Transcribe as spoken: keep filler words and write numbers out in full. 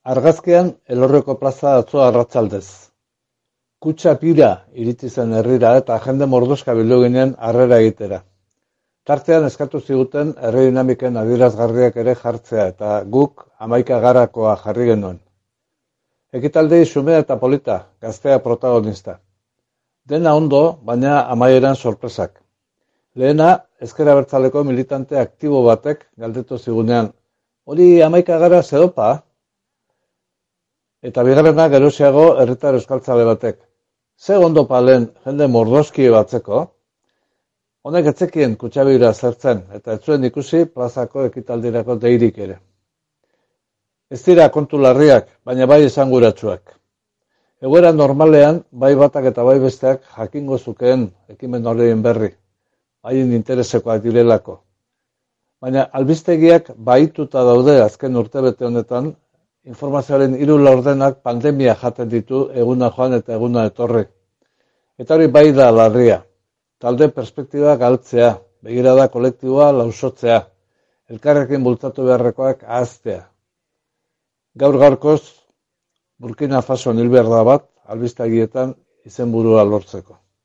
Argazkian Elorrioko plaza atzo arratsaldez. Kutxa bira iritsi zen herrira eta jende mordoska bildu ginen harrera egitera. Tartean eskatu ziguten herri dinamiken adierazgarriak ere jartzea eta guk hamaika garakoa jarri genuen. Ekitaldi xumea eta polita, gaztea protagonista. Dena ondo, baina amaieran sorpresak. Lehena, ezker abertzaleko militante aktibo batek galdetu zigunean, hori hamaika gara zedopa? Eta bigarrena geroxiago herritar euskaltzale batek. Ze ondo palen jende mordoski batzeko? Honek etzekien kutxabira zertzen eta ez zuen ikusi plazako ekitaldirako deirik ere. Ez dira kontu larriak, baina bai esanguratsuak. Egoera normalean, bai batak eta bai besteak jakingo zukeen ekimen horien berri, haien interesekoak direlako. Baina albistegiak bahituta daude azken urtebete honetan, informazioaren hiru laurdenak pandemia jaten ditu eguna joan eta eguna etorri. Eta hori bai da larria. Talde perspektiba galtzea, begirada kolektiboa lausotzea, elkarrekin bultzatu beharrekoak ahaztea. Gaur gaurkoz, Burkina Faso hil behar da bat, albistegietan izenburua lortzeko.